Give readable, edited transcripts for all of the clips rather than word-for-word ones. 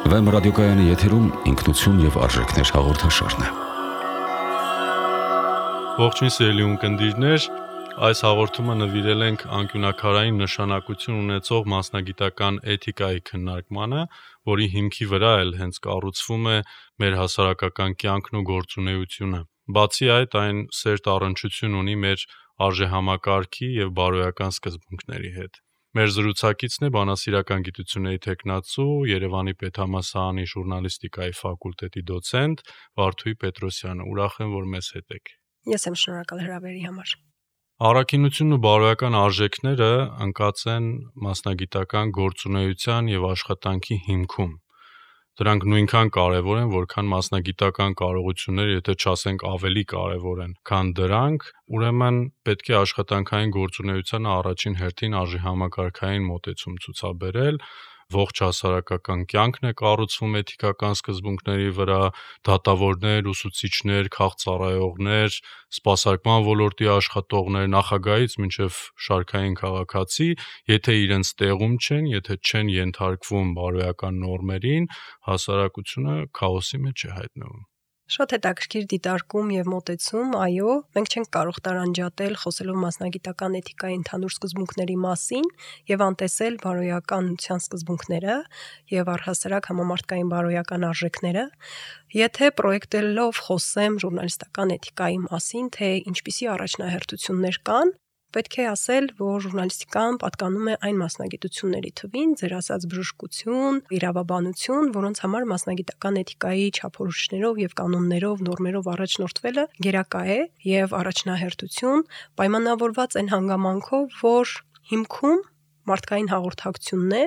Վեմ ռադիոկայանի եթերում ինքնություն և արժեքներ հաղորդաշարն է։ Ողջույն սիրելի ունկնդիրներ, այս հաղորդումը նվիրել ենք անկյունաքարային նշանակություն ունեցող մասնագիտական էթիկայի քննարկմանը, որի հիմքի վրա էլ հենց կառուցվում է մեր հասարակական կյանքն ու գործունեությունը։ Բացի այդ, այն սերտ առնչություն ունի մեր արժեհամակարգի և բարոյական սկզբունքների հետ։ Մեր զրուցակիցն է բանասիրական գիտությունների թեկնածու, Երևանի պետհամալսարանի ժուրնալիստիկայի ֆակուլտետի դոցենտ Վարդուհի Պետրոսյանը։ Ուրախ եմ, որ մեզ հետ եք։ Ես եմ շնորհակալ հրավերի համար։ Առաքինությունն ու բարոյական արժեքները ընկած են մասնագիտական գործունեության և աշխատանքի հիմքում։ Դրանք նույնքան կարևոր են, որքան մասնագիտական կարողությունները, եթե չասենք ավելի կարևոր են, քան դրանք, ուրեմն պետք է աշխատանքային գործունեությանը առաջին հերթին արժեհամակարգային մոտեցում ցուցաբերել, ողջ հասարակական կյանքն է կառուցվում էթիկական սկզբունքների վրա, դատավորներ, ուսուցիչներ, քաղծառայողներ, սպասարկման ոլորտի աշխատողներ, նախագահից մինչև շարքային քաղաքացի, եթե իրենց տեղում չեն, եթե չեն ենթարկվում բարոյական նորմերին, հասարակությունը քաոսի մեջ է հայտնվում։ Շատ հետաքրքիր դիտարկում և մոտեցում, այո, մենք չենք կարող տարանջատել խոսելով մասնագիտական էթիկայի ընդհանուր սկզբունքների մասին և անտեսել բարոյականության սկզբունքները և առհասարակ համամարտկային բարոյական արժեքները, եթե պրոյեկտելով խոսեմ ժուրնալիստական էթիկայի մասին, թե ինչպիսի առաջնահերթություններ կան, պետք է ասել, որ ժուրնալիստիկան պատկանում է այն մասնագիտությունների թվին, ձեր ասած բժշկություն, իրավաբանություն, որոնց համար մասնագիտական էթիկայի չափորոշիչներով և կանոններով, նորմերով առաջնորդվելը գերակա է և առաջնահերթություն, պայմանավորված այն հանգամանքով, որ հիմքում մարդկային հաղորդակցությունն է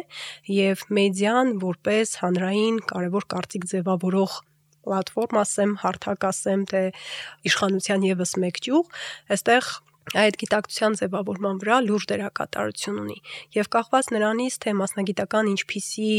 և մեդիան որպես հանրային կարևոր կարծիք ձևավորող պլատֆորմ ասեմ, հարթակ ասեմ, թե իշխանության ևս մեկ ճյուղ, այստեղ այդ գիտակցության ձևավորման վրա լուրջ դերակատարություն ունի և կախված նրանից, թե մասնագիտական ինչպիսի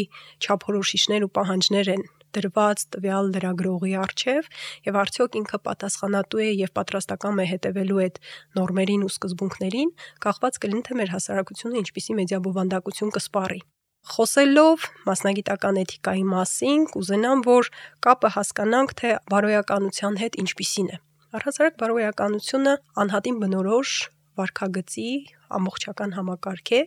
չափորոշիչներ ու պահանջներ են դրված տվյալ լրագրողի առջև և արդյոք ինքը պատասխանատու է և պատրաստակամ է հետևելու այդ նորմերին ու սկզբունքներին, կախված կլինի, թե մեր հասարակությունը ինչպիսի մեդիաբովանդակություն կսպառի։ Խոսելով մասնագիտական էթիկայի մասին, կուզենամ, որ կապը հասկանանք, թե բարոյականության հետ ինչպիսին է։ Առհասարակ բարոյականությունը անհատին բնորոշ վարքագծի ամբողջական համակարգ է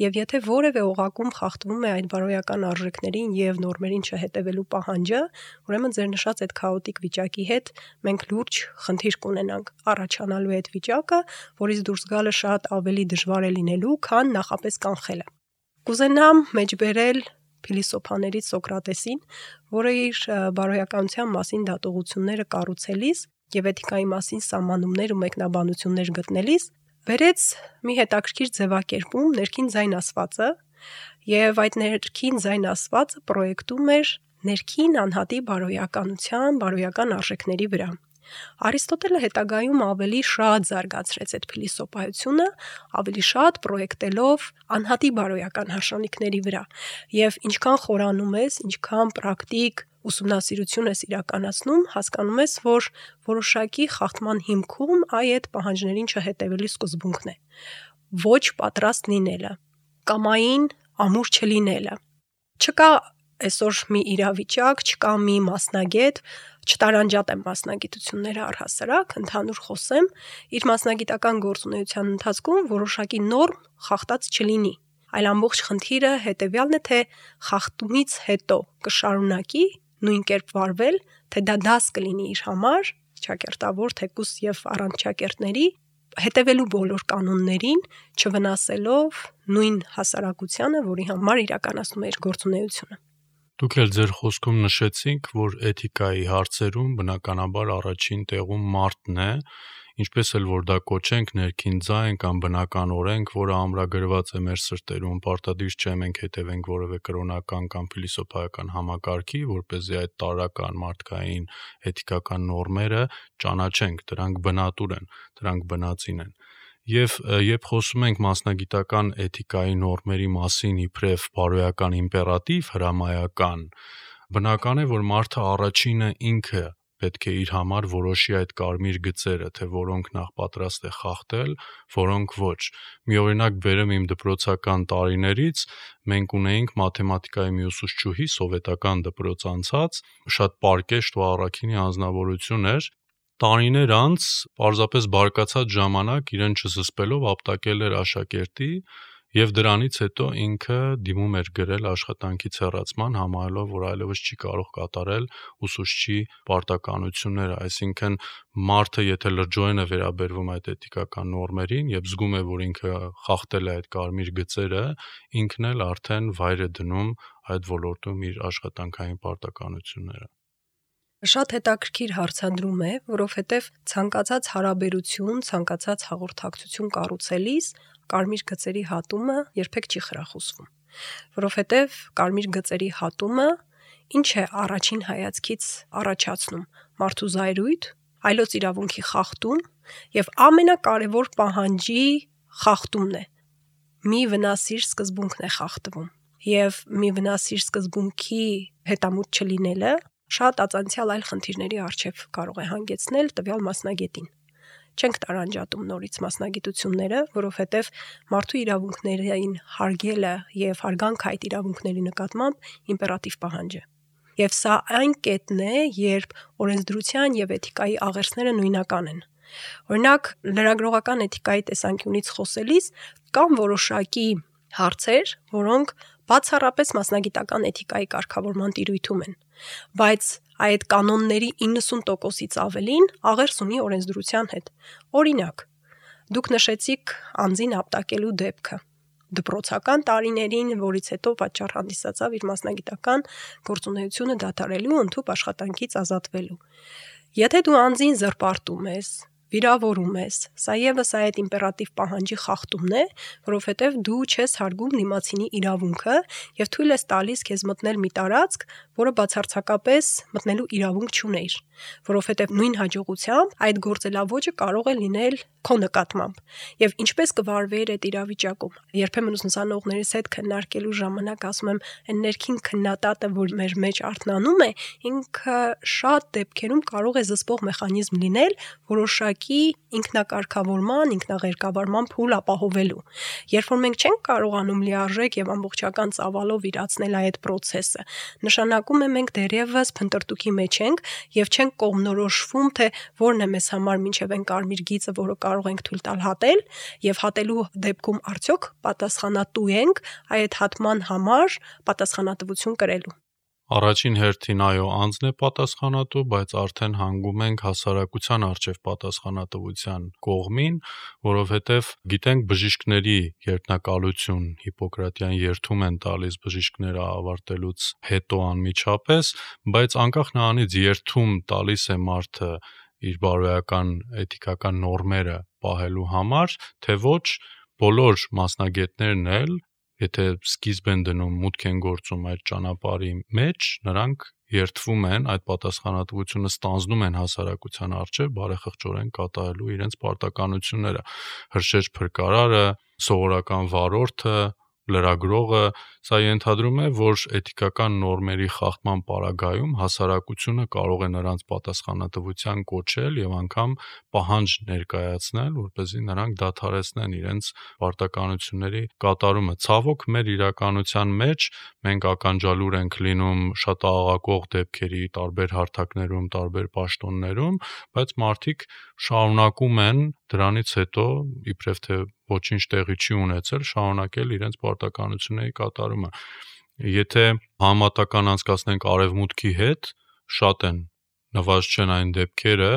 և եթե որևէ օղակում խախտվում է այդ բարոյական արժեքներին և նորմերին չհետևելու պահանջը, ուրեմն ձեր նշած այդ քաոտիկ վիճակի հետ մենք լուրջ խնդիր կունենանք։ Առաջանալու է այդ վիճակը, որից դուրս գալը շատ ավելի դժվար է լինելու, քան նախապես կանխելը։ Կուզենամ մեջբերել փիլիսոփաներից Սոկրատեսին, որը իր բարոյականության մասին դատողությունները կառուցելիս և էթիկայի մասին սահմանումներ ու մեկնաբանություններ գտնելիս բերեց մի հետաքրքիր ձևակերպում ներքին ձայն ասվածը և այդ ներքին ձայն ասվածը պրոյեկտում էր ներքին անհատի բարոյականության, բարոյական արժեքների վրա։ Արիստոտելը հետագայում ավելի շատ զարգացրեց այդ փիլիսոփայությունը, ավելի շատ պրոյեկտելով անհատի բարոյական հարժանիքների վրա և ինչքան խորանում ես, ինչքան պրակտիկ ուսումնասիրություն ես իրականացնում, հասկանում ես, որ որոշակի խախտման հիմքում այդ պահանջներին չհետևելու սկզբունքն է։ Ոչ պատրաստ լինելը, կամային ամուր չլինելը։ Չկա այսօր մի իրավիճակ, չկա մի մասնագետ, չտարանջատեմ մասնագիտությունները առհասարակ, ընդհանուր խոսեմ, իր մասնագիտական գործունեության ընթացքում որոշակի նորմ խախտած չլինի, այլ ամբողջ խնդիրը հետևյալն է, թե խախտումից հետո կշարունակի նույն կերպ վարվել, թե դա դաս կլինի իր համար, ճակերտավոր թեկուզ և առանց ճակերտների, հետևելու բոլոր կանոններին, չվնասելով նույն հասարակությանը, որի համար իրականացնում է իր գործունեությունը։ Դուք էլ ձեր խոսքում նշեցիք, որ էթիկայի հարցերում բնականաբար առաջին տեղում մարդն է, ինչպես էլ որ դա կոչենք ներքին ձայն կամ բնական օրենք, որը ամրագրված է մեր սրտերում, պարտադիր չէ մենք հետևենք որևէ կրոնական կամ փիլիսոփայական համակարգի, որպեսզի այդ տարրական մարդկային էթիկական նորմերը ճանաչենք, դրանք բնատուր են, դրանք բնածին են։ Եվ երբ խոսում ենք մասնագիտական էթիկայի նորմերի մասին իբրև բարոյական իմպերատիվ հրամայական, բնական է, որ մարդը առաջինը ինքը պետք է իր համար որոշի այդ կարմիր գծերը, թե որոնք նախ պատրաստ է խախտել, որոնք ոչ։ Մի օրինակ բերեմ իմ դպրոցական տարիներից, մենք ունեինք մաթեմատիկայի մի ուսուցչուհի, սովետական դպրոց անցած, շատ պարկեշտ ու առաքինի անձնավորություն էր։ Տարիներ անց, պարզապես բարկացած ժամանակ իրեն չզսպելով ապտակել էր աշակերտի եւ դրանից հետո ինքը դիմում էր գրել աշխատանքից հեռացման, համարելով, որ այլևս չի կարող կատարել ուսուցչի պարտականությունները, այսինքն մարդը եթե լրջորեն է վերաբերվում այդ էթիկական նորմերին եւ զգում է, որ ինքը խախտել է այդ կարմիր գծերը, ինքն էլ արդեն վայր է դնում այդ ոլորտում իր աշխատանքային պարտականությունները։ Շատ հետաքրքիր հարցադրում է, որովհետև ցանկացած հարաբերություն, ցանկացած հաղորդակցություն կառուցելիս կարմիր գծերի հատումը երբեք չի խրախուսվում, որովհետև կարմիր գծերի հատումը ինչ է առաջին հայացքից առաջացնում՝ մարդու զայրույթ, այլոց իրավունքի խախտում եւ ամենակարևոր պահանջի խախտումն է։ Մի վնասիր սկզբունքն է խախտվում եւ մի վնասիր սկզբունքի հետամուտ չլինելը շատ ածանցյալ այլ խնդիրների առջև կարող է հանգեցնել տվյալ մասնագետին։ Չենք տարանջատում նորից մասնագիտությունները, որովհետև մարդու իրավունքներին հարգելը եւ հարգանքը այդ իրավունքների նկատմամբ իմպերատիվ պահանջ է։ Եվ սա այն կետն է, երբ օրենսդրության եւ էթիկայի աղերսները նույնական են։ Օրինակ, լրագրողական էթիկայի տեսանկյունից խոսելիս կան որոշակի հարցեր, որոնք բացառապես մասնագիտական էթիկայի կարգավորման տիրույթում են, բայց այդ կանոնների 90%-ից ավելին աղերս ունի օրենսդրության հետ։ Օրինակ, դուք նշեցիք անձին ապտակելու դեպքը։ Դպրոցական տարիներին, որից հետո պատճառ հանդիսացավ իր մասնագիտական գործունեությունը դադարելու, ընդհանուր աշխատանքից ազատվելու։ Եթե դու անձին զրպարտում ես, վիրավորում ես, սա եւս այդ իմպերատիվ պահանջի խախտումն է, որովհետև դու չես հարգում դիմացինի իրավունքը եւ թույլ ես տալիս քեզ մտնել մի տարածք, որը բացարձակապես մտնելու իրավունք չունեիր, որովհետև նույն հաջողությամբ այդ գործելավոճը կարող է լինել քո նկատմամբ։ Եվ ինչպես կվարվեիր այդ իրավիճակում։ Երբեմն ուսուցանողներիս հետ քննարկելու ժամանակ ասում եմ, այն ներքին քննադատը, որ մեր մեջ արթնանում է, ինքը շատ դեպքերում կարող է զսպող մեխանիզմ լինել որոշակի ինքնակարգավորման, ինքնաղերկավարման փուլ ապահովելու։ Երբ որ մենք չենք կարողանում լիարժեք եւ ամբողջական ծավալով իրացնել այդ process-ը, նշանակում է մենք դեռևս փնտրտուքի մեջ ենք եւ չենք կողմնորոշվում, թե որն է մեզ համար մինչեւ այն կարմիր գիծը, որը կարող ենք թույլ տալ հատել, եւ հատելու դեպքում արդյոք պատասխանատու ենք այդ հատման համար պատասխանատվություն կրելու։ Առաջին հերթին այո, անձն է պատասխանատու, բայց արդեն հանգում ենք հասարակության առջև պատասխանատվության կողմին, որովհետև գիտենք բժիշկների երդնակալություն Հիպոկրատյան երդում են տալիս բժիշկները ավարտելուց հետո անմիջապես, բայց անկախ նրանից երդում տալիս է մարդը իր բարոյական էթիկական նորմերը պահելու համար, թե ոչ, բոլոր մասնագետներն էլ եթե սկիզբ են դնում, մուտք են գործում այդ ճանապարհի մեջ, նրանք երդվում են, այդ պատասխանատվությունը ստանձնում են հասարակության առջև բարեխղճորեն կատարելու իրենց պարտականությունները։ Հրշեջ փրկարարը, սովորական վարորդը, լրագրողը, սա ենթադրում է, որ էթիկական նորմերի խախտման պարագայում հասարակությունը կարող է նրանց պատասխանատվության կոչել եւ անգամ պահանջ ներկայացնել, որպեսզի նրանք դադարեցնեն իրենց պարտականությունների կատարումը։ Ցավոք, մեր իրականության մեջ մենք ականջալուր ենք լինում շատ աղաղակող դեպքերի տարբեր հարթակներում, տարբեր պաշտոններում, բայց մարդիկ շարունակում են դրանից հետո իբրև թե ոչինչ տեղի չի ունեցել, շարունակել իրենց պարտականությունների կատարումը։ Եթե համատական անցկացնենք արևմուտքի հետ, շատ են, նվազ չեն այն դեպքերը,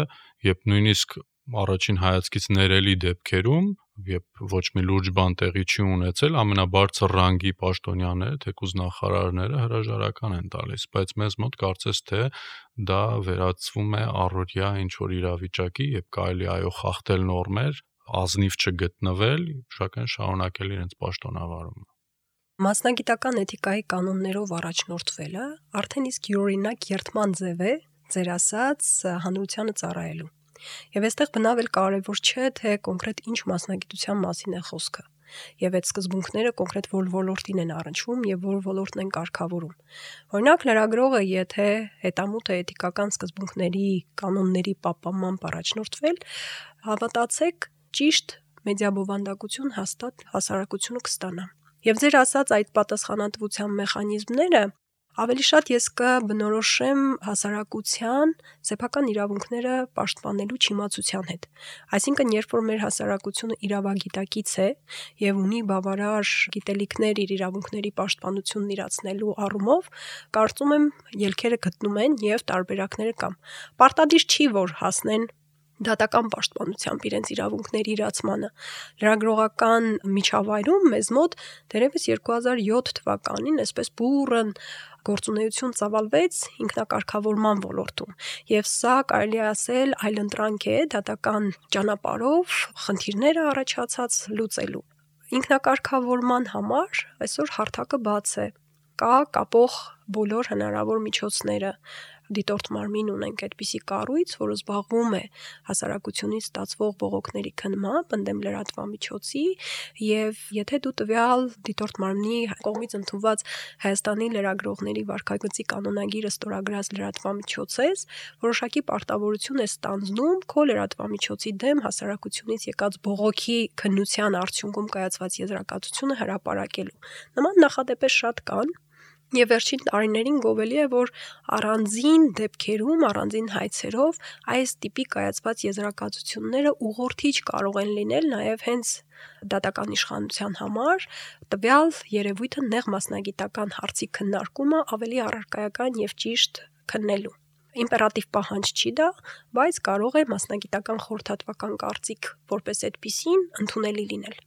երբ նույնիսկ առաջին հայացքից ներելի դեպքերում, երբ ոչ մի լուրջ բան տեղի չի ունեցել, ամենաբարձր ռանգի պաշտոնյաները, թեկուզ նախարարները հրաժարական են տալիս, բայց մեզ մոտ կարծես թե դա վերածվում է առօրյա ինչ-որ իրավիճակի, երբ կարելի այո խախտել նորմեր, ազնիվ չգտնվել, սակայն շարունակել իրենց պաշտոնավարումը։ Մասնագիտական էթիկայի կանոններով առաջնորդվելը արդեն իսկ յուրօրինակ երդման ձև է, ձեր ասած, հանրությանը ծառայելու։ Եվ այստեղ բնավ էլ կարևոր չէ, թե կոնկրետ ինչ մասնագիտության մասին է խոսքը։ եւ այդ սկզբունքները կոնկրետ որ ոլորտին են առնչվում եւ որ ոլորտն են կարգավորում։ Օրինակ լրագրողը եթե հետամուտ է էթիկական սկզբունքների, կանոնների պահպանմամբ առաջնորդվել, հավատացեք, ճիշտ մեդիաբովանդակություն հաստատ հասարակությունը կստանա։ Եվ ձեր ասած այդ պատասխանատվության մեխանիզմները ավելի շատ ես կբնորոշեմ հասարակության սեփական իրավունքները պաշտպանելու չիմացության հետ։ Այսինքն, երբ որ մեր հասարակությունը իրավագիտակից է եւ ունի բավարար գիտելիքներ իր իրավունքների պաշտպանությունն իրացնելու առումով, կարծում եմ ելքերը գտնում են եւ տարբերակները կան։ Պարտադիր չի որ հասնեն դատական պաշտպանությամբ իրենց իրավունքների իրացմանը։ Լրագրողական միջավայրում մեզ մոտ դերևս 2007 թվականին այսպես բուրըն գործունեություն ծավալվեց ինքնակարգավորման ոլորտում եւ սա կարելի է ասել այլընտրանք է դատական ճանապարհով խնդիրները առաջացած լուծելու։ Ինքնակարգավորման համար այսօր հարթակը բաց է, կա կապող բոլոր հնարավոր միջոցները։ Դիտորդ մարմին ունենք այդպիսի կառույց, որը զբաղվում է հասարակությունից ստացվող բողոքների քննմամբ ընդդեմ լրատվամիջոցի եւ եթե դու տվյալ դիտորդ մարմնի կողմից ընդունված Հայաստանի լրագրողների վարքագծի կանոնագիրը ստորագրած լրատվամիջոց ես, որոշակի պարտավորություն է ստանձնում քո լրատվամիջոցի դեմ հասարակությունից եկած բողոքի քննության արդյունքում կայացված եզրակացությունը հրապարակելու։ Նման նախադեպեր շատ կան։ Եվ վերջին տարիներին գովելի է, որ առանձին դեպքերում, առանձին հայցերով այս տիպի կայացված եզրակացությունները ուղղորդիչ կարող են լինել նաև հենց դատական իշխանության համար, տվյալ երևույթը նեղ մասնագիտական հարցի քննարկումը ավելի առարկայական եւ ճիշտ քննելու։ Իմպերատիվ պահանջ չի դա, բայց կարող է մասնագիտական խորհրդատվական կարծիք որպես այդպիսին ընդունելի լինել։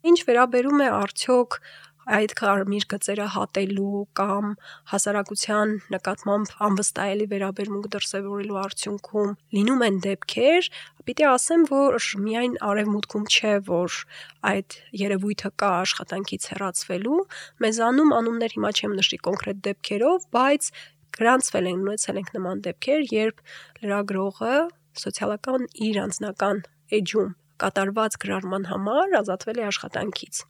Ինչ վերաբերում է արդյոք այդ կարմիր գծերը հատելու կամ հասարակության նկատմամբ անվստահելի վերաբերմունք դրսևորելու արդյունքում լինում են դեպքեր, պիտի ասեմ, որ միայն արևմուտքում չէ, որ այդ երևույթը կա աշխատանքից հեռացվելու, մեզանում անուններ հիմա չեմ նշի կոնկրետ դեպքերով, բայց գրանցվել են ունեցել ենք նման դեպքեր, երբ լրագրողը սոցիալական իր անձնական էջում կատարված գրառման համար ազատվել է աշխատանքից։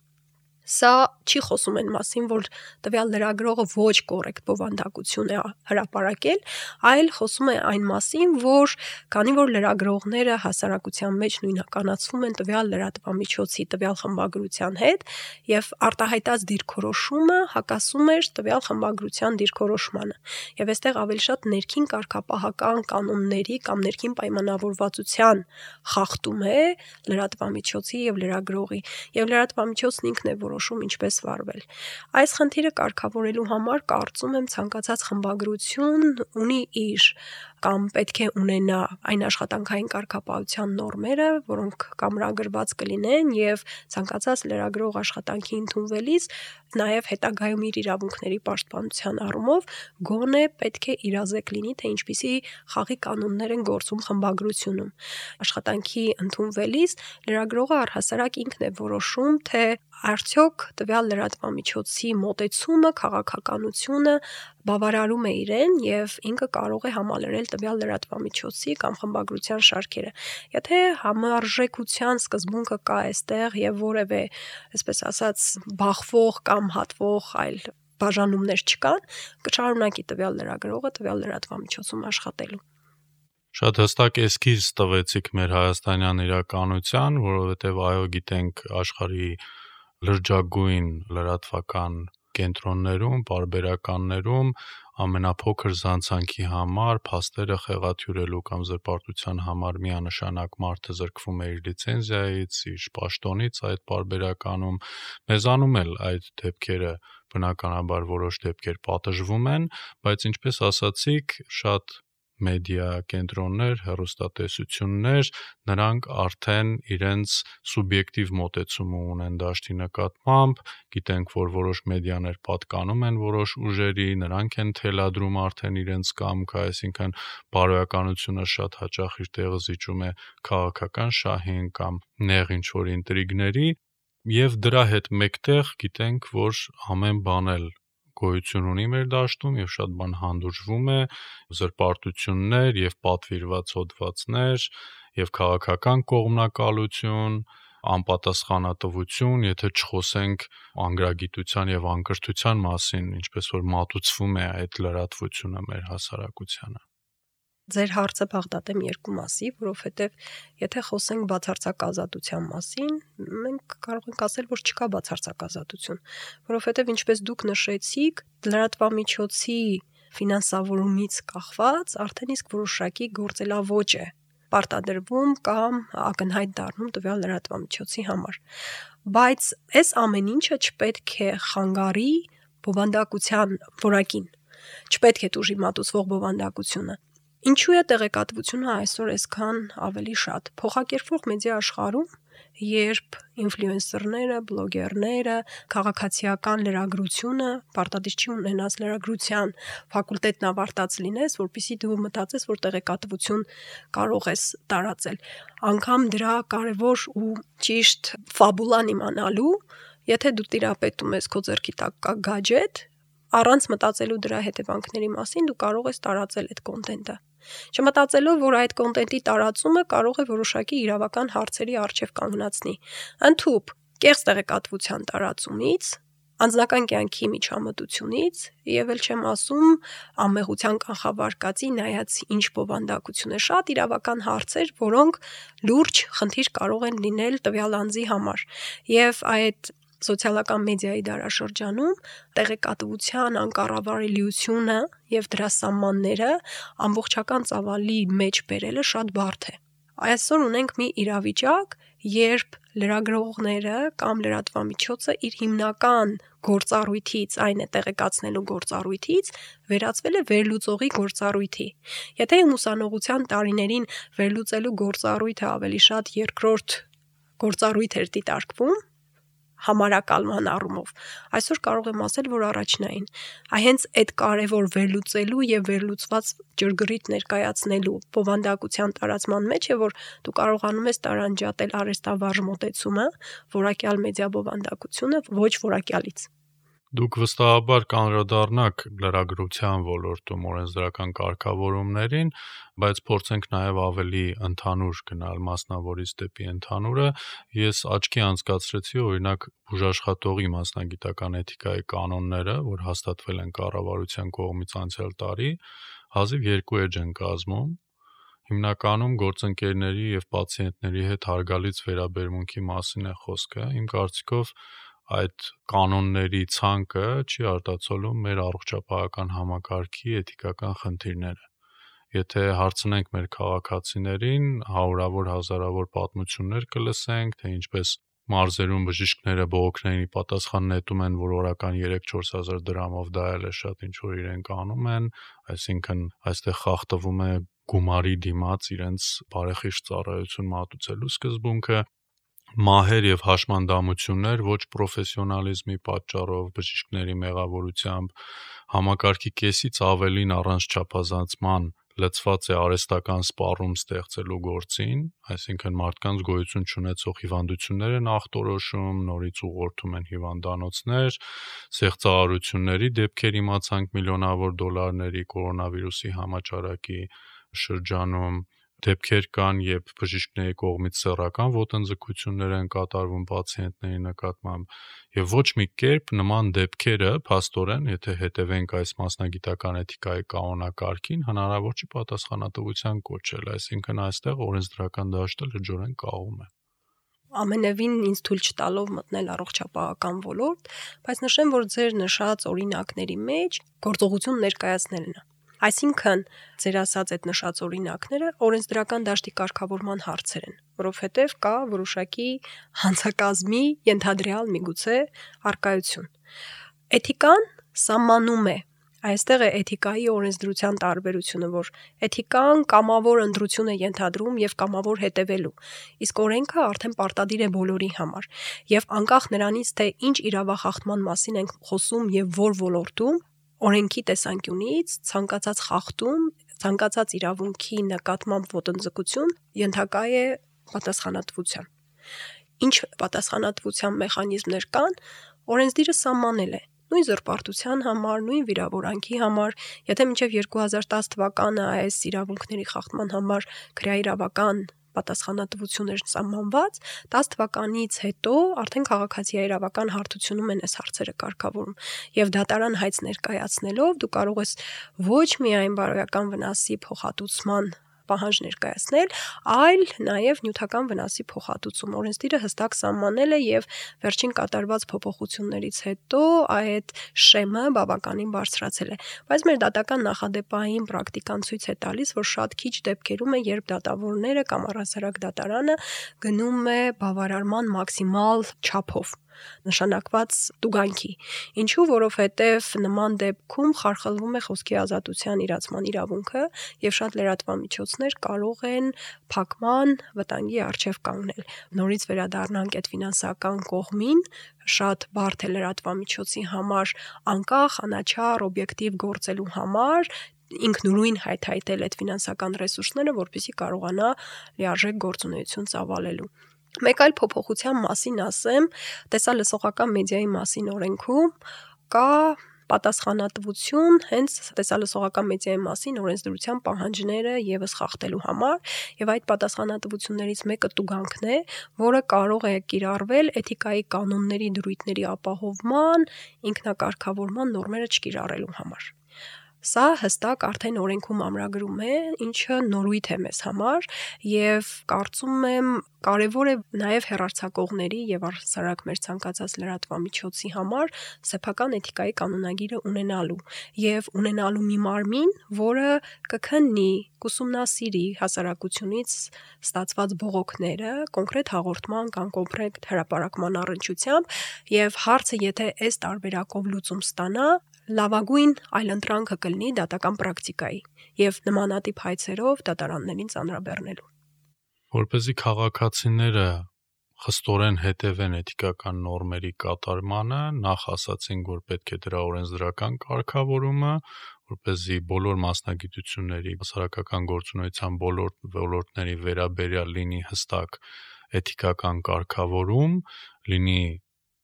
Սա չի խոսում այն մասին, որ տվյալ լրագրողը ոչ կոռեկտ բովանդակություն է հրապարակել, այլ խոսում է այն մասին, որ քանի որ լրագրողները հասարակության մեջ նույնականացվում են տվյալ լրատվամիջոցի տվյալ խմբագրության հետ եւ արտահայտած դիրքորոշումը հակասում էր տվյալ խմբագրության դիրքորոշմանը։ Եվ այստեղ ավելի շատ ներքին կարգապահական կանոնների կամ ներքին պայմանավորվածության խախտում է լրատվամիջոցի եւ լրագրողի, եւ լրատվամիջոցն ինքն է որոշում ինչպես վարվել։ Այս խնդիրը կարգավորելու համար կարծում եմ ցանկացած խմբագրություն ունի իր կամ պետք է ունենա այն աշխատանքային կարգապահության նորմերը, որոնք կամրագրված կլինեն եւ ցանկացած լրագրող աշխատանքի ընդունվելիս նաեւ հետագայում իր իրավունքների պաշտպանության առումով գոնե պետք է իրազեկ լինի, թե ինչպիսի խաղի կանոններ են գործում խմբագրությունում։ Աշխատանքի ընդունվելիս լրագրողը առհասարակ ինքն է որոշում, թե արդյոք տվյալ լրատվամիջոցի մոտեցումը, քաղաքականությունը բավարարում է իրեն եւ ինքը կարող է համալրել տվյալ լրատվամիջոցի կամ խմբագրության շարքերը։ Եթե համարժեքության սկզբունքը կա այստեղ եւ որևէ, այսպես ասած, բախվող կամ հատվող այլ բաժանումներ չկան, կշարունակի տվյալ լրագրողը տվյալ լրատվամիջոցում աշխատելու։ Շատ հստակ էսքիզ տվեցիք մեր հայաստանյան իրականության, որովհետեւ այո, գիտենք աշխարհի լրջագույն լրատվական կենտրոններում, պարբերականներում ամենափոքր զանցանքի համար փաստերը խեղաթյուրելու կամ զրպարտության համար միանշանակ մարդը զրկվում է իր լիցենզիայից, իր պաշտոնից այդ պարբերականում։ Մեզանում էլ այդ դեպքերը բնականաբար որոշ դեպքեր պատժվում են, բայց ինչպես ասացիք, շատ մեդիա կենտրոններ, հեռուստատեսություններ, նրանք արդեն իրենց սուբյեկտիվ մոտեցումը ունեն դաշտի նկատմամբ, գիտենք, որ որոշ մեդիաներ պատկանում են որոշ ուժերի, նրանք են թելադրում արդեն իրենց կամքը, այսինքն բարոյականությունը շատ հաճախ իր տեղը զիջում է քաղաքական շահին կամ նեղ ինչ-որ ինտրիգների, եւ դրա հետ մեկտեղ գիտենք, որ ամեն բան էլ գոյություն ունի մեր դաշտում եւ շատ բան հանդուրժվում է, զրպարտություններ եւ պատվիրված հոդվածներ եւ քաղաքական կողմնակալություն, անպատասխանատվություն, եթե չխոսենք անգրագիտության եւ անկրթության մասին, ինչպես որ մատուցվում է այդ լրատվությունը մեր հասարակությանը։ Ձեր հարցը բաղդատեմ երկու մասի, որովհետև եթե խոսենք բացարձակ ազատության մասին, մենք կարող ենք ասել, որ չկա բացարձակ ազատություն, որովհետև ինչպես դուք նշեցիք, լրատվամիջոցի ֆինանսավորումից կախված արդեն իսկ որոշակի գործելավոճ է պարտադրվում կամ ակնհայտ դառնում տվյալ լրատվամիջոցի համար։ Բայց այս ամեն ինչը չպետք է խանգարի բովանդակության որակին, չպետք է տուժի մատուցվող բովանդակությունը։ Ինչու է տեղեկատվությունը այսօր այսքան ավելի շատ։ Փոխակերպվող մեդիա աշխարհում, երբ ինֆլուենսերները, բլոգերները, քաղաքացիական լրագրությունը պարտադիր չի ունենաս լրագրության ֆակուլտետն ավարտած լինես, որpիսի դու մտածես, որ տեղեկատվություն կարող ես տարածել։ Անկամ դրա կարևոր ու ճիշտ ֆաբուլան իմանալու, եթե դու տիրապետում ես քո ձեռքի տակ կա գadget, առանց մտածելու դրա հետևանքների մասին, դու կարող ես տարածել այդ կոնտենտը։ Չմտածելով, որ այդ կոնտենտի տարածումը կարող է որոշակի իրավական հարցերի առջև կանգնացնի։ Ընդհուպ, կեղծ տեղեկատվության տարածումից, անձնական կյանքի միջամտությունից եւ էլ չեմ ասում անմեղության կանխավարկածի նայած ինչ բովանդակություն է, շատ իրավական հարցեր, որոնք լուրջ խնդիր կարող են լինել տվյալ անձի համար։ Եվ այդ սոցիալական մեդիայի դարաշրջանում տեղեկատվության անկառավարելիությունը եւ դրա սահմանները ամբողջական ծավալի մեջ բերելը շատ բարդ է։ Այսօր ունենք մի իրավիճակ, երբ լրագրողները կամ լրատվամիջոցը իր հիմնական գործառույթից, այն է տեղեկացնելու գործառույթից, վերածվել է վերլուծողի գործառույթի։ Եթե ուսանողության տարիներին վերլուծելու գործառույթը ավելի շատ երկրորդ գործառույթ էր դիտարկվում, համարակալման առումով, այսօր կարող եմ ասել, որ առաջնային։ Հենց այդ կարևոր վերլուծելու եւ վերլուծված ճրգրիտ ներկայացնելու բովանդակության տարածման մեջ է, որ դու կարողանում ես տարանջատել արհեստավարժ մոտեցումը, որակյալ մեդիա բովանդակությունը ոչ որակյալից։ Դուք վստահաբար կանդրադառնաք լրագրության ոլորտում օրենսդրական կարգավորումներին, բայց փորձենք նաև ավելի ընդհանուր գնալ մասնավորից դեպի ընդհանուրը։ Ես աչքի անցկացրեցի օրինակ բուժաշխատողի մասնագիտական էթիկայի կանոնները, որ հաստատվել են կառավարության կողմից անցյալ տարի, հազիվ 2 էջ են կազմում։ Հիմնականում գործընկերների եւ պացիենտների հետ հարգալից վերաբերմունքի մասին է խոսքը։ Իմ կարծիքով այդ կանոնների ցանկը չի արտացոլում մեր առողջապահական համակարգի էթիկական խնդիրները։ Եթե հարցնենք մեր քաղաքացիներին, հարյուրավոր հազարավոր պատմություններ կլսենք, թե ինչպես մարզերում բժիշկները բողոքներին պատասխան նետում են, որ օրական 3-4 հազար դրամով դա էլ է շատ ինչ որ իրենք անում են, այսինքն այստեղ խախտվում է գումարի դիմաց իրենց բարեխիղճ ծառայություն մատուցելու սկզբունքը։ Մահեր եւ հաշմանդամություններ ոչ պրոֆեսիոնալիզմի պատճառով, բժիշկների մեղավորությամբ, համակարգի կեսից ավելին առանց չափազանցման լցված է արհեստական սպառում ստեղծելու գործին, այսինքն մարդկանց գոյություն չունեցող հիվանդություններ են ախտորոշում, նորից ուղղորդում են հիվանդանոցներ, սեղծարարությունների դեպքեր իմացանք միլիոնավոր դոլարների կորոնավիրուսի համաճարակի շրջանում, դեպքեր կան, երբ բժիշկների կողմից սեռական ոտնձգություններ են կատարվում պացիենտների նկատմամբ, եւ ոչ մի կերպ նման դեպքերը, փաստորեն, եթե հետևենք այս մասնագիտական էթիկայի կանոնակարգին, հնարավոր չի պատասխանատվության կոչել, այսինքն այստեղ օրենսդրական դաշտը լրջորեն կաղում է։ Ամենևին ինձ թույլ չտալով մտնել առողջապահական ոլորտ, բայց նշեմ, որ ձեր նշած օրինակների մեջ գործողություն ներկայացնելն է։ Այսինքն, ձեր ասած այդ նշած օրինակները օրենսդրական դաշտի կարգավորման հարցեր են, որովհետև կա որոշակի հանցակազմի ենթադրյալ միգուցե առկայություն։ Էթիկան սահմանում է, այստեղ է էթիկայի օրենսդրության տարբերությունը, որ էթիկան կամավոր ընտրություն է ենթադրում եւ կամավոր հետևելու, իսկ օրենքը արդեն պարտադիր է բոլորի համար, եւ անկախ նրանից, թե ինչ իրավախախտման մասին ենք խոսում եւ որ ոլորտում, օրենքի տեսանկյունից ցանկացած խախտում, ցանկացած իրավունքի նկատմամբ ոտնձգություն ենթակա է պատասխանատվության։ Ինչ պատասխանատվության մեխանիզմներ կան, օրենսդիրը սահմանել է նույն զրպարտության համար, նույն վիրավորանքի համար, եթե մինչև 2010 թվականը այս իրավունքների խախտման համար քրեաիրավական պատասխանատվություն էր սահմանված, 10 թվականից հետո արդեն քաղաքացիայի իրավական հարթությունում են այս հարցերը կարգավորում եւ դատարան հայց ներկայացնելով դու կարող ես ոչ միայն բարոյական վնասի փոխհատուցման պահանջ ներկայացնել, այլ նաև նյութական վնասի փոխհատուցում։ Օրենսդիրը հստակ սահմանել է եւ վերջին կատարված փոփոխություններից հետո այդ շեմը բավականին բարձրացել է։ Բայց մեր դատական նախադեպային պրակտիկան ցույց է տալիս, որ շատ քիչ դեպքերում է, երբ դատավորները կամ առհասարակ դատարանը գնում է բավարարման մաքսիմալ չափով նշանակված տուգանքի։ Ինչու, որովհետև նման դեպքում խարխլվում է խոսքի ազատության իրացման իրավունքը եւ շատ լրատվամիջոցներ կարող են փակման վտանգի առջև կանգնել։ Նորից վերադառնանք այդ ֆինանսական կողմին, շատ բարդ է լրատվամիջոցի համար անկախ, անաչառ, օբյեկտիվ գործելու համար ինքնուրույն հայթայթել այդ ֆինանսական ռեսուրսները, որպեսզի կարողանա լիարժեք գործունեություն ծավալելու։ Մեկ այլ փոփոխության մասին ասեմ, տեսալսողական մեդիայի մասին օրենքում կա պատասխանատվություն հենց տեսալսողական մեդիայի մասին օրենսդրության պահանջները եւս խախտելու համար եւ այդ պատասխանատվություններից մեկը տուգանքն է, որը կարող է կիրառվել էթիկայի կանոնների դրույթների ապահովման, ինքնակարգավորման նորմերը չկիրառելու համար։ Սա հստակ արդեն օրենքում ամրագրում է, ինչը նորույթ է մեզ համար եւ կարծում եմ կարևոր է նաեւ հեռարձակողների եւ առհասարակ մեր ցանկացած լրատվամիջոցի համար սեփական էթիկայի կանոնագիրը ունենալու եւ ունենալու մի մարմին, որը կքննի, կուսումնասիրի հասարակությունից ստացված բողոքները կոնկրետ հաղորդման կամ կոնկրետ հրապարակման առնչությամբ եւ հարցը եթե այս տարբերակով լուծում ստանա լավագույն այլընտրանքը կլինի դատական պրակտիկայի եւ նմանատիպ հայցերով դատարաններին ծանրաբեռնելու։ Որպեսզի քաղաքացիները խստորեն հետևեն էթիկական նորմերի կատարմանը, նախ ասացինք, որ պետք է դրա օրենսդրական կարգավորումը, որպեսզի բոլոր մասնագիտությունների, հասարակական գործունեության բոլոր ոլորտների վերաբերյալ լինի հստակ էթիկական կարգավորում, լինի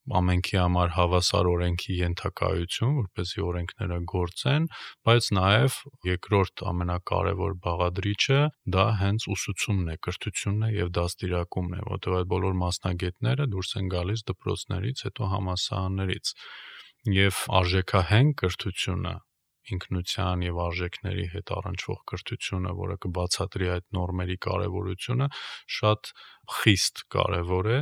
ամենքի համար հավասար օրենքի ենթակայություն, որպեսզի օրենքները գործեն, բայց նաև երկրորդ ամենակարևոր բաղադրիչը դա հենց ուսուցումն է, կրթությունն է եւ դաստիարակումն է, որտեղ այդ բոլոր մասնագետները դուրս են գալիս դպրոցներից, հետո համալսարաններից եւ արժեքահենք կրթությունը ինքնության եւ արժեքների հետ առնչվող կրթությունը, որը կբացատրի այդ նորմերի կարեւորությունը, շատ խիստ կարեւոր է։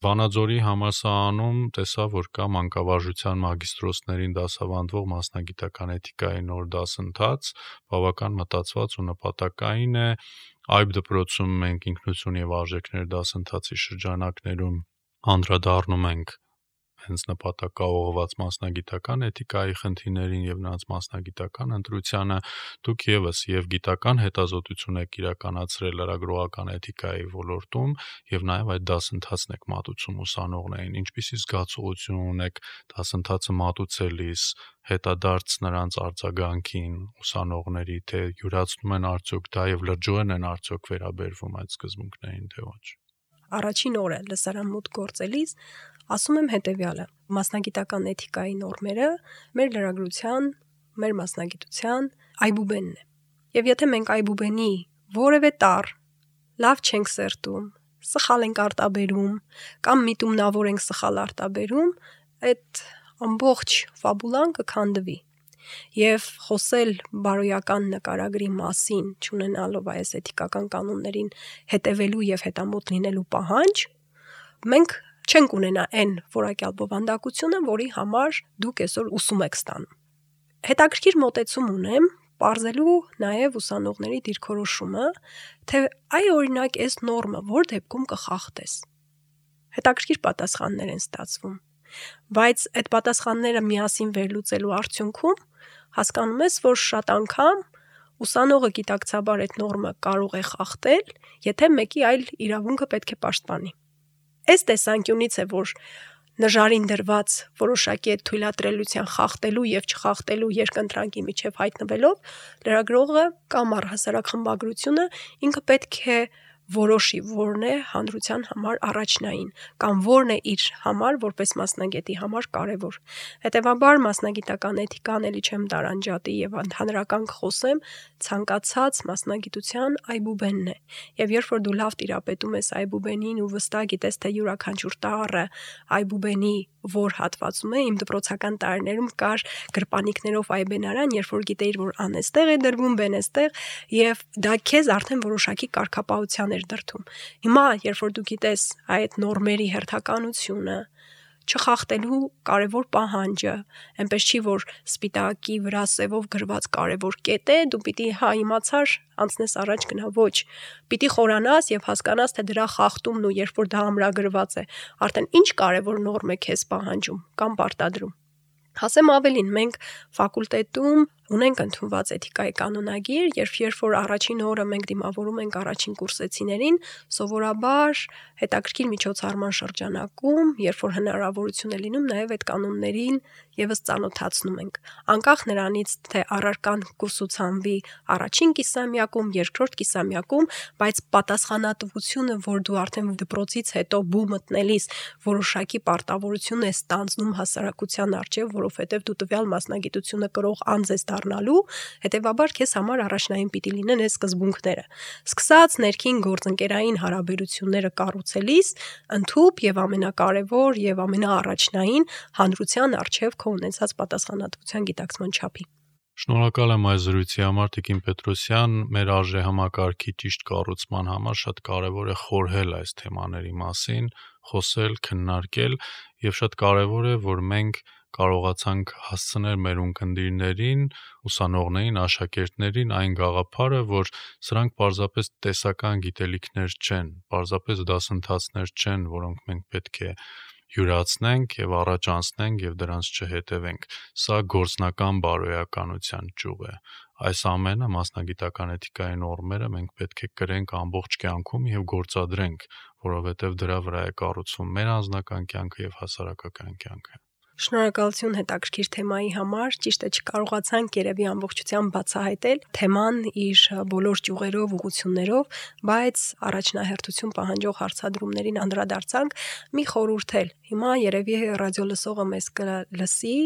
Վանաձորի համալսարանում տեսա, որ կա մանկավարժության մագիստրոսներին դասավանդվող մասնագիտական էթիկայի նոր դասընթաց, բավական մտածված ու նպատակային է։ Այբ դպրոցում մենք ինքնություն եւ արժեքներ դասընթացի շրջանակներում անդրադառնում ենք հենց նպատակաուղղված մասնագիտական էթիկայի խնդիրներին եւ նրանց մասնագիտական ընտրությանը, դուք եւս եւ գիտական հետազոտություն եք իրականացրել լրագրողական էթիկայի ոլորտում եւ նաեւ այդ դասընթացն եք մատուցում ուսանողներին, ինչպիսի զգացողություն ունեք դասընթացը մատուցելիս, հետադարձ նրանց արձագանքին ուսանողների, թե յուրացնում են արդյոք դա եւ լրջորեն են արդյոք վերաբերվում այդ սկզբունքներին, թե ոչ։ Առաջին օրը լսարան մուտք գործելիս ասում եմ հետեւյալը. մասնագիտական էթիկայի նորմերը մեր լրագրության, մեր մասնագիտության այբուբենն է։ Եվ եթե մենք այբուբենի որևէ տառ լավ չենք սերտում, սխալ ենք արտաբերում կամ միտումնավոր ենք սխալ արտաբերում, այդ ամբողջ ֆաբուլան կքանդվի։ Եվ խոսել բարոյական նկարագրի մասին, չունենալով այս էթիկական կանոններին հետևելու եւ հետամոտ լինելու պահանջ, մենք չենք ունենա այն որակյալ բովանդակությունը, որի համար դուք այսօր ուսում եք ստանում։ Հետաքրքիր մոտեցում ունեմ պարզելու նաեւ ուսանողների դիրքորոշումը, թե այ օրինակ այս նորմը որ դեպքում կխախտես։ Հետաքրքիր պատասխաններ են ստացվում։ Բայց այդ պատասխանները միասին վերլուծելու արդյունքում հասկանում ես, որ շատ անգամ ուսանողը գիտակցաբար այդ նորմը կարող է խախտել, եթե մեկի այլ իրավունքը պետք է պաշտպանի։ Այս տեսանկյունից է, որ նժարին դրված որոշակի այդ թույլատրելիության խախտելու եւ չխախտելու երկընտրանքի միջև հայտնվելով, լրագրողը կամ առհասարակ խմբագրությունը ինքը պետք է որոշի որն է հանրության համար առաջնային կամ որն է իր համար որպես մասնագետի համար կարևոր։ Հետևաբար մասնագիտական էթիկան էլի չեմ տարանջատի եւ ընդհանրական խոսեմ, ցանկացած մասնագիտության այբուբենն է։ Եվ երբ որ դու լավ տիրապետում ես այբուբենին ու վստահ գիտես թե յուրաքանչյուր տառը այբուբենի որ հատվածում է, իմ դպրոցական տարիներում կար գրպանիկներով այբենարան, երբ որ գիտեիր որ ան էստեղ է դրվում, բեն էստեղ, եւ դա քեզ արդեն որոշակի կարգապահության էր դրդում։ Հիմա երբ որ դու գիտես այդ նորմերի հերթականությունը, չխախտելու կարևոր պահանջը, այնպես չի որ սպիտակի վրա սևով գրված կարևոր կետ է, դու պիտի իմացար անցնես առաջ գնա, ոչ, պիտի խորանաս եւ հասկանաս թե դրա խախտումն ու երբ որ դա ամրագրված է, արդեն ինչ կարևոր նորմ է քեզ պահանջում կամ պարտադրում։ Ասեմ ավելին, մենք ֆակուլտետում ունենք ընդունված էթիկայի կանոնագիր, երբ որ առաջին օրը մենք դիմավորում ենք առաջին կուրսեցիներին, սովորաբար հետաքրքիր միջոցառման շրջանակում, երբ որ հնարավորություն է լինում, նաև այդ կանոններին եւս ծանոթացնում ենք։ Անկախ նրանից, թե առարկան կուրսուցանվի առաջին կիսամյակում, երկրորդ կիսամյակում, բայց պատասխանատվությունը, որ դու արդեն դպրոցից հետո բու մտնելիս որոշակի պարտավորություն ես ստանձնում հասարակության առջև, որովհետև դու տվյալ մասնագիտությունը կրող անձ ես դառնալու, հետևաբար քեզ համար առաջնային պիտի լինեն այս սկզբունքները։ Սկսած ներքին գործընկերային հարաբերությունները կառուցելիս, ընդհուպ եւ ամենակարևոր եւ ամենաառաջնային հանրության առջև քո ունեցած պատասխանատվության գիտակցման չափի։ Շնորհակալ եմ այս զրույցի համար, Տիկին Պետրոսյան, մեր արժեհամակարգի ճիշտ կառուցման համար շատ կարևոր է խորհել այս թեմաների մասին, խոսել, քննարկել եւ շատ կարևոր է, որ մենք կարողացանք հասցնել մեր ունկնդիրներին, ուսանողներին, աշակերտներին այն գաղափարը, որ սրանք պարզապես տեսական գիտելիքներ չեն, պարզապես դասընթացներ չեն, որոնք մենք պետք է յուրացնենք եւ առաջ անցնենք եւ դրանց չհետևենք։ Սա գործնական բարոյականության ճյուղ է։ Այս ամենը մասնագիտական էթիկայի նորմերը մենք պետք է կրենք ամբողջ կյանքում եւ գործադրենք, որովհետեւ դրա վրա է կառուցվում մեր անձնական կյանքը եւ հասարակական կյանքը։ Շնորհակալություն հետաքրքիր թեմայի համար, ճիշտ է չկարողացանք երևի ամբողջությամբ բացահայտել թեման իր բոլոր ճյուղերով, ուղղություններով, բայց առաջնահերթություն պահանջող հարցադրումներին անդրադարձանք։ Մի խորհուրդ էլ, հիմա երևի ռադիո լսողը մեզ կլսի,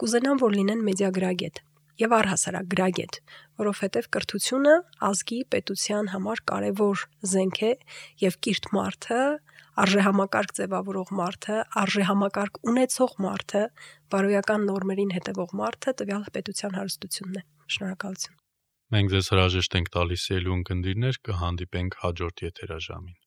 կուզենամ, որ լինեն մեդիագրագետ եւ առհասարակ գրագետ, որովհետեւ կրթությունը ազգի պետության համար կարևոր զենք է եւ կիրթ մարդը, արժեհամակարգ ձևավորող մարդը, արժեհամակարգ ունեցող մարդը, բարոյական նորմերին հետևող մարդը տվյալ պետության հարստությունն է։ Շնորհակալություն։ Մենք ձեզ հրաժեշտ ենք տալիս ելուն կնդիրներ, կհանդիպենք հաջորդ եթերաժամին։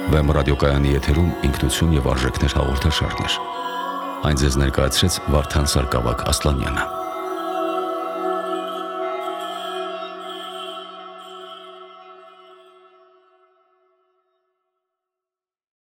Վեմ ռադիոկայանի եթերում ինքնություն եւ արժեքներ հաղորդաշարներ։ Այն ձեզ ներկայացրեց Վարդան Սարգսակ Ասլանյանը։